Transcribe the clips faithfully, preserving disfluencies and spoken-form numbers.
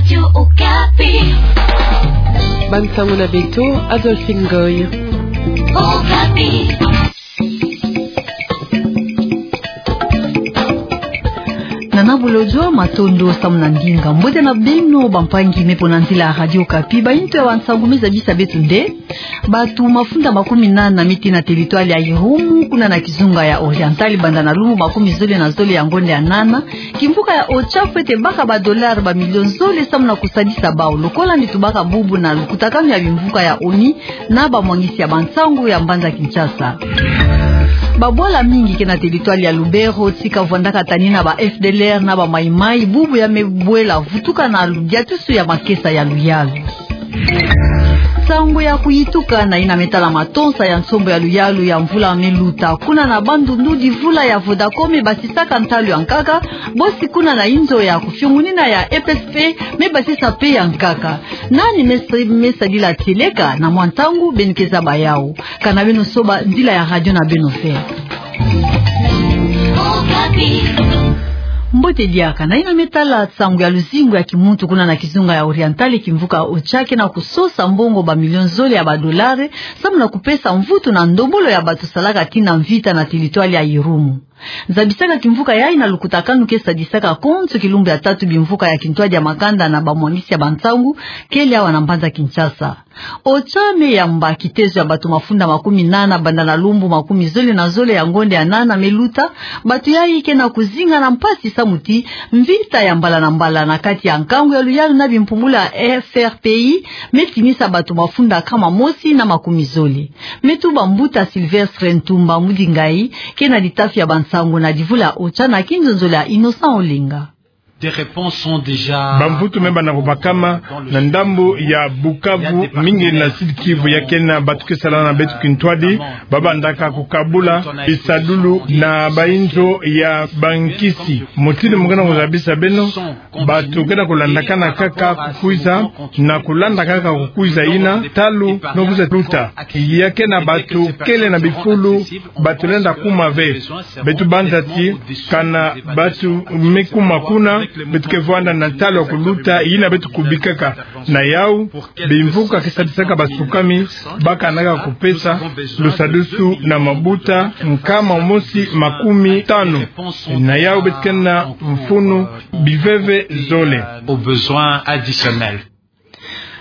Radio Okapi. Bansango na beto, Adolphine Ngoy. Okapi. Nana Bolodjwa, matondo samu na ndinga. Mbote na beno, bampangi me mpo na nzila ya Radio Okapi. Bainto ya bansango me zabisa beto nde: bato mafunda makumi nana me tii na territoire ya Irumu, kuna na kizunga ya Oriental, banda na lumbu makumi zole na zole ya ngonda ya nana, kimvuka ya OCHA fwete baka ba dollars ba millions zole samu na kusadisa bawu, lokola nde tubaka bubu na lukutakanu ya bimvuka ya ONU na bamwangisi ya bansango ya mbanza Kinshasa. Babwala mingi ke na territoire ya Lubero tika vwandaka tani na ba F D L R na ba Mai-Mai, bubu ya me bwela vutuka na lu-, diatusu ya makesa ya luyalu. Nsangu ya kuyituka na yina me tala matonsa ya nsombo ya luyalu ya mvula me luta. Kuna na Bandundu, divula ya Vodacom me basisaka ntalu ya nkaka, bosi kuna na inzo ya kufiongunina ya E P S P me basisa mpe ya nkaka. Nani me sa-, me sadila tieleka? Na mwa ntangu beno ke zaba yawu. Kana beno soba nzila ya radio na beno ve. Mbote diaka. Na yina me tala nsangu ya luzingu ya kimuntu, kuna na kizunga ya Oriental, kimvuka OCHA ke na kusosa mbongo ba millions zole ya ba dollars samu na kupesa mvutu na ndombolo ya bato salaka tii na mvita na territoire ya Irumu. Zabisaka kimvuka yayi na lukutakanu ke sadisaka konso kilumbu ya tatu bimvuka ya kintwadi ya makanda na bamwangisi ya bansangu kele awa na mbanza Kinshasa. OCHA me yamba kitezo ya bato mafunda makumi nana banda na lumbu makumi zole na zole ya ngonda ya nana me luta. Bato yayi ke na kuzinga na mpasi samu ti mvita ya mbala na mbala na kati ya nkangu ya luyalu na bimpumbulu ya F R P I me tinisa bato mafunda nkama mosi na makumi zole. Me tuba mbuta Sylvestre Ntumba Mudingayi, ke na litafi ya bansangu na livula OCHA na kinzonzolo ya Innocent Olenga. Des réponses sont déjà... Bamvutu me banda kubakama na ndambu ya Bukavu, mingi na Sud-Kivu, ya kena bato ke sala na beto kintwadi, ba bandaka kukabula bisadulu na bainzo ya bankisi. Mutindu mu ke na kuzabisa beno, bato ke na kulandakana kaka kukwiza, na kulanda kaka kukwiza yina, ntalu no kwiza luta. Ya kena bato kele na bifulu, bato lenda kuma ve. Beto banza ti kana bato me kuma kuna, beto ke vwanda na ntalu ya kuluta yina beto kubikaka. Na yawu, bimvuka ke sadisaka basukami, ba kanaka kupesa lusadusu na mabuta nkama mosi makumi tanu. Na yawu beto ke na mfunu biveve zole. Aux besoins additionnels.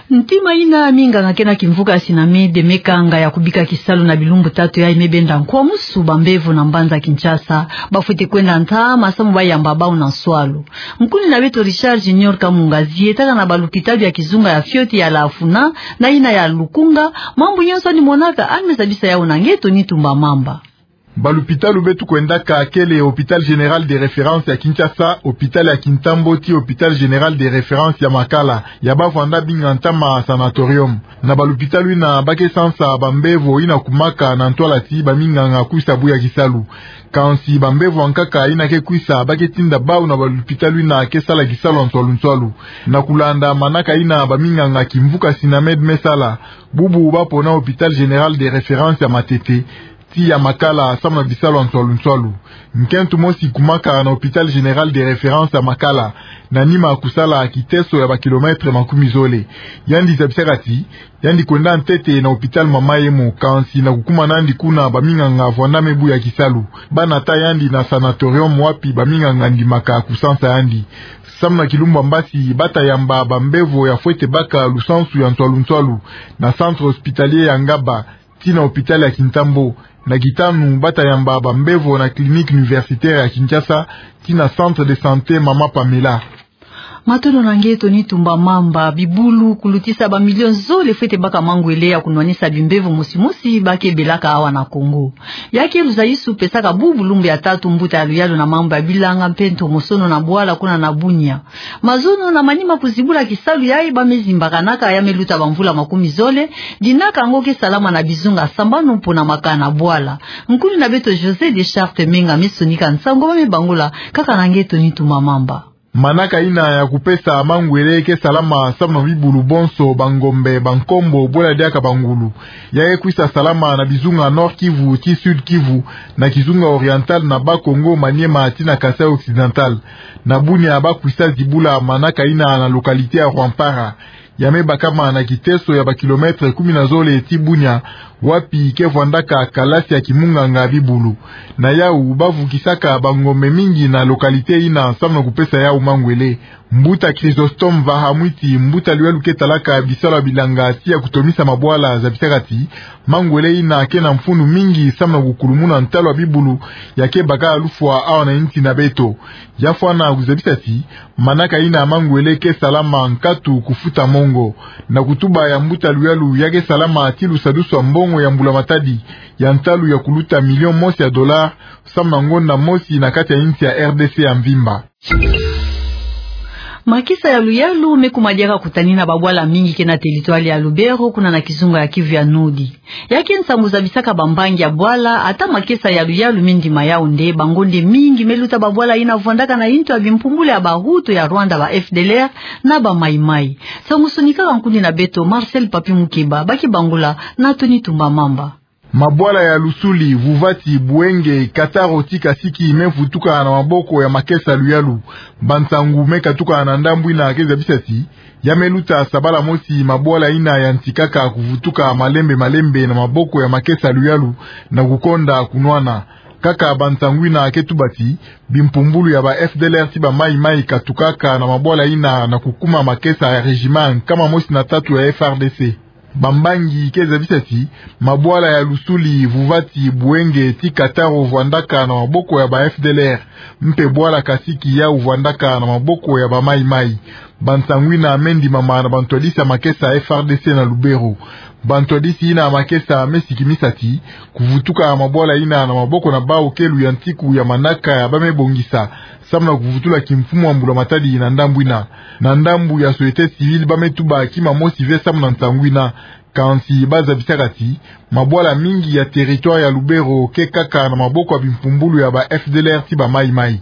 Ntima yina minganga ke na kimvuka ya SINAMED me kanga ya kubika kisalu na bilumbu tatu yayi me benda nkwamusu bambevo na mbanza Kinshasa, bafwete kwenda ntama samu ba yamba bawu na nswalu. Nkundi na beto Richard Junior Kamunga zietaka na balupitalu ya kizunga ya fioti ya Lafuna na yina ya Lukunga, mambu nyonso yandi monaka, yandi me zabisa yawu na nge Tony Tumba Mamba. Balupitalu beto kwendaka kele Hôpital Général de Référence ya Kinshasa, Hôpital ya Kintambo ti Hôpital Général de Référence ya Makala, ya ba vwanda binga ntama sanatorium. Na balupitalu yina ba ke sansa bambevo yina kumaka na ntwala ti baminganga kwisa buya kisalu. Kansi bambevo ya nkaka yina ke kwisa, ba ke tinda bawu na balupitalu yina ke sala kisalu ya nswalu nswalu. Na kulanda manaka yina baminganga kimvuka SINAMED me sala, bubu ba pona Hôpital Général de Référence ya Matete ti ya Makala samu na bisalu ya nswalu nswalu. Nkento mosi kumaka na Hôpital Général de Référence ya Makala, na nima kusala kiteso ya ba kilomètres makumi zole. Yandi zabisaka ti yandi kwenda ntete na Hôpital Mama Yemo, kansi na kukuma na yandi kuna, baminganga vwanda me buya kisalu. Ba nata yandi na sanatorium wapi baminganga ndimaka kusansa yandi. Samu na kilumbu ya mbasi ba ta yamba bambevo ya fwete baka lusansu ya nswalu nswalu na centre hospitalier ya Ngaba ti na Hôpital ya Kintambo. Na kitanu, ba ta yamba bambevo na Clinique Universitaire ya Kinshasa ti na Centre de Santé Mama Pamela. Matondo na nge Tony Tumba Mamba. Bibulu kulutisa ba millions zole fwete baka mangwele ya kunwanisa bimbevo mosi mosi ba ke belaka awa na Congo. Ya ke luzayisu pesaka bubu lumbu ya tatu mbuta ya luyalu na mambu ya bilanga mpe ntomosono na bwala kuna na Bunia. Mazono na manima kuzibula kisalu yayi ba me zimbakanaka ya me luta bamvula makumi zole, dinaka yango ke salama na bizunga sambanu mpo na makana bwala. Nkundi na beto José Deschartes Menga me sonika nsangu, ba me bangula kaka na nge Tony Tumba Mamba. Manaka ina ya kupesa mangwele ke salama samu na bibulu bonso, bangombe, bankombo, bwela diaka bangulu. Ya ke kwisa salama na bizunga Nord-Kivu ti Sud-Kivu, na kizunga Oriental na Bas-Congo, Maniema tii na Kasaï Occidental. Na Bunia ba kwisa zibula manaka ina na localité ya Rwampara. Ya me bakama na kiteso ya ba kilomètre kumi na zole ti Bunia, wapi ke vwandaka kalasi ya kimunganga bibulu. Na yau ba vukisaka bangombe mingi na localité ina samu na kupesa yau mangwele. Mbuta Chrysostome Vahamwiti, mbuta luyalu ke talaka bisalu ya bilanga tii ya kutomisa mabwala, zabisaka ti mangwele ina ke na mfunu mingi samu na kukulumuna ntalu ya bibulu ya ke baka lufwa awa na insi na beto. Ya fwana kuzabisa ti manaka ina mangwele ke salama nkatu kufuta mongo. Na kutuba ya mbuta luyalu, ya ke salama tii lusadusu ya mbongo ya mbula matadi ya ntalu ya kuluta million mosi ya dollar samu na ngonda mosi na kati ya insi ya R D C ya mvimba. Makesa ya luyalu me kuma diaka kutanina babwala mingi ke na territoire ya Lubero, kuna na kizunga ya Kivu ya Nord. Ya ke nsangu zabisaka bambangi ya bwala, ata makesa ya luyalu me ndima yau nde, bangonde mingi me luta babwala ina vwandaka na intu ya bimpumbulu ya bahutu ya Rwanda, ba F D L R na ba Mai Mai. Nsangu sonikaka nkundi na beto Marcel Papi Mukeba, ba ke bangula na Tony Tumba Mamba. Mabwala ya Lusuli, Vuvati, Buenge, Kataro tii Kasiki me vutuka na maboko ya makesa luyalu. Bansangu me katuka na ndambu ina ke zabisa ti ya me luta sabala mosi mabwala ina yantikaka kuvutuka malembe malembe na maboko ya makesa luyalu na kukonda kunwana. Kaka bansangu ina ke tuba ti bimpumbulu ya ba F D L R tii ba Mai Mai katukaka na mabwala ina na kukuma makesa ya régiment nkama mosi na tatu ya F R D C. Bambangi ke zabisa ti mabwala ya Lusuli, Vuvati, Buenge tii Kataro vwandaka na maboko ya ba F D L R, mpe bwala Kasiki yau vwandaka na maboko ya ba Mai Mai. Bansangu ina me ndimama na bantwadisi ya makesa F R D C na Lubero. Bantwadisi ina ya makesa me sikimisa ti kuvutuka mabwala ina na maboko na bau ke luyantiku ya manaka ya ba me bongisa samu na kuvutula kimfumu ya mbula matadi na ndambu ina. Na ndambu ya société civile, ba me tuba kima mosi ve samu na nsangu ina. Kansi ba zabisaka ti mabwala mingi ya territoire ya Lubero ke kaka na maboko ya bimpumbulu ya ba F D L R tii ba Mai Mai.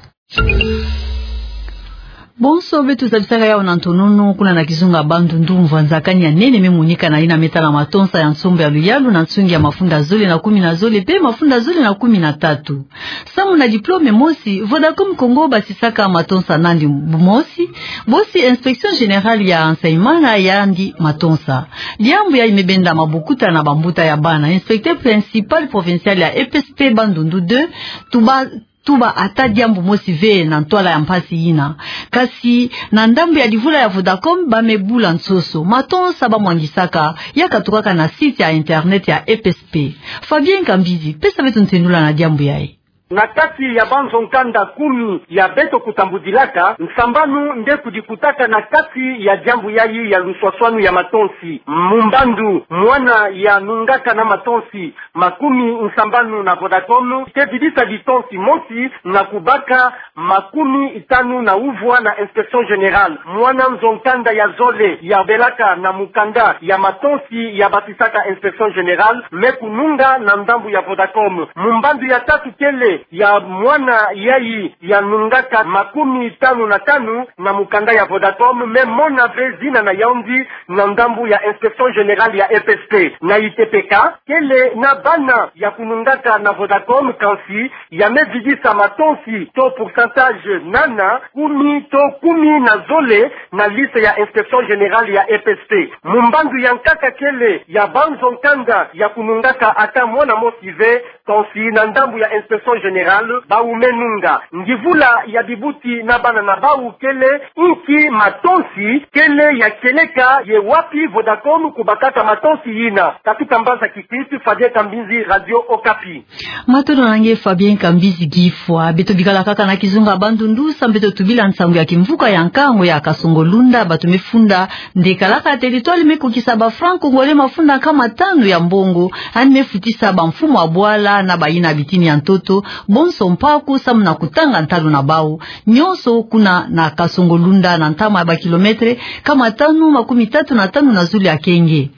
Bonso beto zabisaka yau na ntonono, kuna na kizunga Bandundu, mvwanzakani ya nene me monika na ina me tala matonsa ya nsombo ya luyalu na nsungi ya mafunda zole na kumi na zole mpe mafunda zole na kumi na tatu. Samu na diplôme mosi, Vodacom Congo basisaka matonsa nandi mosi, bosi Inspection Générale ya Enseignement na yandi matonsa. Diambu yayi me benda mabokuta na bambuta ya bana. Inspecteur principal provincial ya E P S P Bandundu deux, tuba, tuba ata diambu mosi ve na ntwala ya mpasi ina. Kasi na ndambu ya divula ya Vodacom, ba me bula nsoso. Matonsa ba mwangisaka ya katukaka na site ya internet ya E P S P. Fabien Kambizi, pesa beto ntendula na diambu yayi. Na kati ya banzo nkanda kumi ya beto kutambudilaka, nsambanu nde kudikutaka na kati ya diambu yayi ya luswaswanu ya matonsi. Mumbandu, mwana ya nungaka na matonsi makumi nsambanu na Vodacom ke vidisa litonsi mosi na kubaka makumi tanu na uvwa na Inspection Générale. Mwana nzo nkanda ya zole ya belaka na mukanda ya matonsi ya batisaka Inspection Générale me kununga na ndambu ya Vodacom. Mumbandu ya tatu kele ya mwana yayi ya nungaka makumi tanu na tanu na mukanda ya Vodacom me mona ve zina na yandi na ndambu ya Inspection Générale ya E P S P. Na I T P K, kele na bana ya kunungaka na Vodacom, kansi ya me vidisa matonsi to pourcentage nana, kumi to kumi na zole na liste ya Inspection Générale ya E P S P. Mumbandu ya nkaka kele ya banzo nkanda ya kunungaka ata mwana mosi ve, kansi na ndambu ya Inspection Générale bau me nunga. Ndivula ya bibuti na bana na bau kele inki matonsi kele ya kieleka, ye wapi Vodacom kubakaka matonsi yina. Katuka mbanza Kikwit, Fabien Kambizi, Radio Okapi. Matondo na nge Fabien Kambizi Gifwa. Beto bikala kaka na kizunga Bandundu, samu beto tubila nsangu ya kimvuka ya nkango ya Kasongo-Lunda, bato me funda nde kalaka territoire me kukisa ba francs congolais mafunda nkama tanu ya mbongo, yandi me futisa bamfumu ya bwala na bayina bitini ya ntoto, bonso mpaku samu na kutanga ntalu na bau. Nyonso kuna na Kasongo-Lunda, na ntama ya ba kilomètre nkama tanu makumi tatu na tanu na zulu ya Kenge.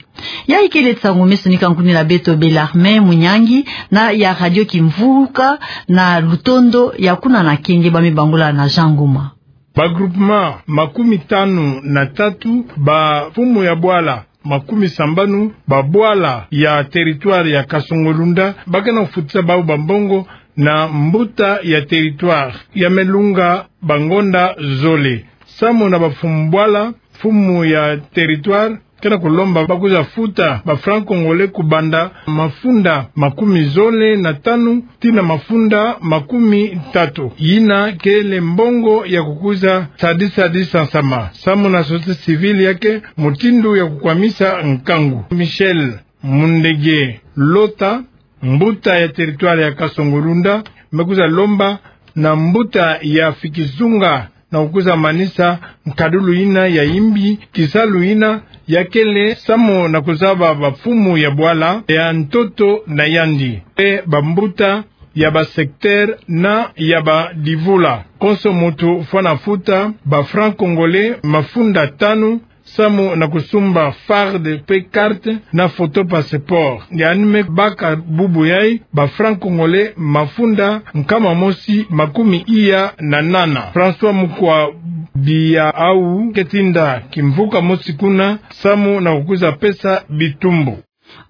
Yayi kele nsangu me sonika nkundi na beto Bellarmin Munyangi na ya Radio Kimvuka na lutondo ya kuna na Kenge, ba me bangula na Jean Ngoma. Ba groupement makumi tanu na tatu, bamfumu ya bwala makumi sambanu, ba bwala ya territoire ya Kasongo-Lunda, ba ke na kufutisa bawu bambongo na mbuta ya territoire ya melunga bangonda zole. Samu na bamfumu bwala, mfumu ya territoire ke na kulomba ba kwiza futa ba francs congolais kubanda mafunda makumi zole na tanu tii na mafunda makumi tatu. Yina kele mbongo ya kukwiza sadisa disansama. Samu na société civile yake mutindu ya kukwamisa nkangu. Michel Mundege Lota, mbuta ya territoire ya Kasongo-Lunda, me kwiza lomba na mbuta ya Fikizunga na kukwiza manisa nkadulu yina ya yimbi, kisalu yina ya kele samu na kuzaba bamfumu ya bwala ya ntoto na yandi, mpe bambuta ya ba secteur na ya ba divula. Konso muntu fwana futa ba francs congolais mafunda tanu, samu na kusumba farde mpe carte na photo passeport. Yandi me baka bubu yayi ba francs congolais mafunda nkama mosi makumi iya na nana. François Mukwa Biawu ke tinda kimvuka mosi kuna, samu na kukwiza pesa bitumbu.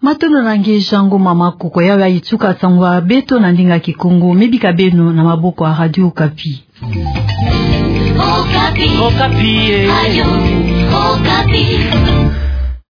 Matondo na nge Jean Ngoma Makoko, yawu ya ituka nsangu a beto na ndinga Kikongo, me bika beno na maboko ya Radio Okapi. Okapi. Okapi, eh. Radio Okapi.